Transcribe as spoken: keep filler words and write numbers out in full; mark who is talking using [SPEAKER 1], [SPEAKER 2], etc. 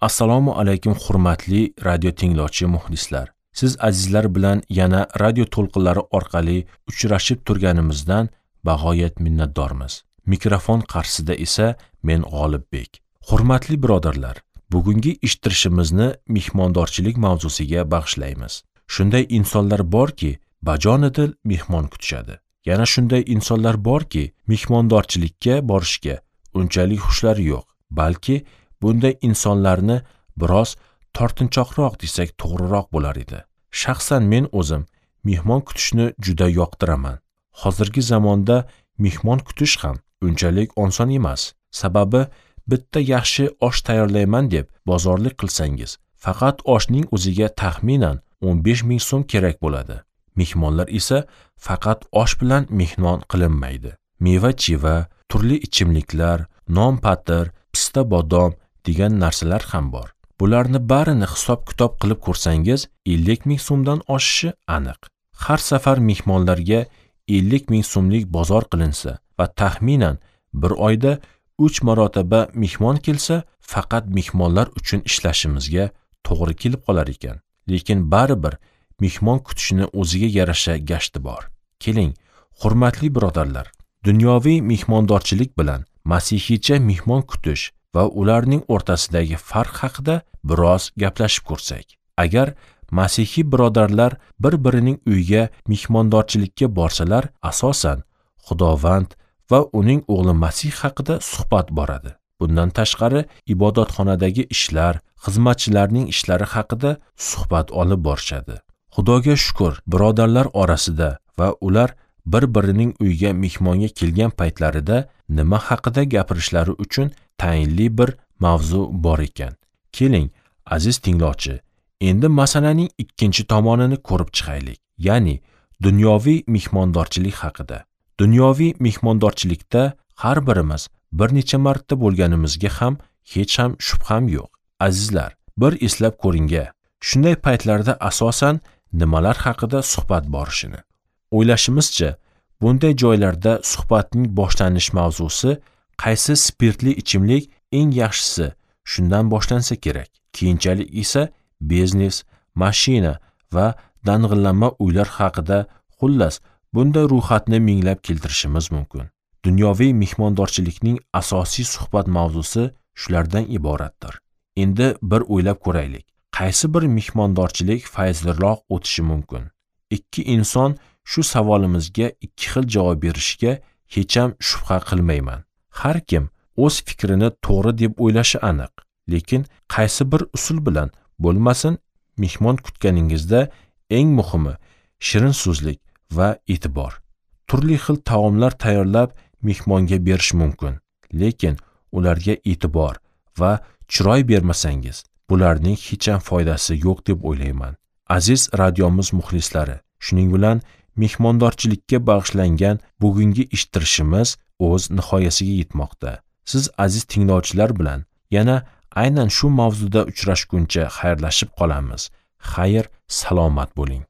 [SPEAKER 1] Assalomu alaykum hurmatli radio tinglovchi muxlislar. Siz azizlar bilan yana radio to'lqinlari orqali uchrashib turganimizdan bag'oyat minnatdormiz. Mikrofon qarshisida esa men G'olibbek. Hurmatli birodarlar, bugungi eshittirishimizni mehmondorchilik mavzusiga bag'ishlaymiz. Shunday insonlar borki, bajonidil mehmon kutishadi. Yana shunday insonlar borki, mehmondorchilikka borishga unchalik xushlari yo'q, balki bunday insonlarni biroz tortinchoqroq desak to'g'riroq bo'lar edi. Shaxsan men o'zim mehmon kutishni juda yoqtiraman. Hozirgi zamonda mehmon kutish ham unchalik oson emas. Sababi bitta yaxshi osh tayyorlayman deb bozorlik qilsangiz, faqat oshning o'ziga taxminan o'n besh ming so'm kerak bo'ladi. Mehmonlar esa faqat osh bilan mehmon qilinmaydi. Meva-cheva, turli ichimliklar, non-patir, pista bodom degan narsalar ham bor. Bularni barini hisob-kitob qilib ko'rsangiz, ellik ming so'mdan oshishi aniq. Har safar mehmonlarga ellik ming so'mlik bozor qilinsa va taxminan bir oyda uch marotaba mehmon kelsa, faqat mehmonlar uchun ishlashimizga to'g'ri kelib qolar ekan. Lekin baribir mehmon kutishini o'ziga yarasha gashti bor. Keling, hurmatli birodarlar, dunyoviy mehmondorchilik bilan masihiycha mehmon kutish va ularning o'rtasidagi farq haqida biroz gaplashib ko'rsak. Agar masihiy birodarlar bir-birining uyiga mehmondorchilikka borsalar, asosan Xudovand va uning o'g'li Masih haqida suhbat boradi. Bundan tashqari ibodatxonadagi ishlar, xizmatchilarning ishlari haqida suhbat olib borishadi. Xudoga shukr, birodarlar orasida va ular bir-birining uyiga mehmonga kelgan paytlarida nima haqida gapirishlari uchun tayinli bir mavzu bor ekan. Keling, aziz tinglovchi, endi masalaning ikkinchi tomonini ko'rib chiqaylik, ya'ni dunyoviy mehmondorchilik haqida. Dunyoviy mehmondorchilikda har birimiz bir necha marta bo'lganimizga ham hech ham shubham yo'q. Azizlar, bir eslab ko'ringga, shunday paytlarda asosan nimalar haqida suhbat borishini. O'ylashimizcha, bunday joylarda suhbatning boshlanish mavzusi qaysi spirtli ichimlik eng yaxshisi, shundan boshlansa kerak. Keyinchalik esa biznes, mashina va dang'illama uylar haqida, xullas, bunday ro'yxatni minglab keltirishimiz mumkin. Dunyoviy mehmondorchilikning asosiy suhbat mavzusi shulardan iboratdir. Endi bir o'ylab ko'raylik. Qaysi bir mehmondorchilik fayzliroq o'tishi mumkin? Ikki inson shu savolimizga ikki xil javob berishiga hech ham shubha qilmayman. Har kim o'z fikrini to'g'ri deb o'ylashi aniq, lekin qaysi bir usul bilan bo'lmasin, mehmon kutganingizda eng muhimi shirin so'zlik va e'tibor. Turli xil taomlar tayyorlab mehmonga berish mumkin, lekin ularga e'tibor va chiroy bermasangiz, bularning hech ham foydasi yo'q deb o'ylayman. Aziz radiomiz muxlislari, shuning bilan mehmondorchilikka bag'ishlangan bugungi eshittirishimiz o'z nihoyasiga yetmoqda. Siz aziz tinglovchilar bilan yana aynan shu mavzuda uchrashguncha xayrlashib qolamiz. Xayr, salomat bo'ling.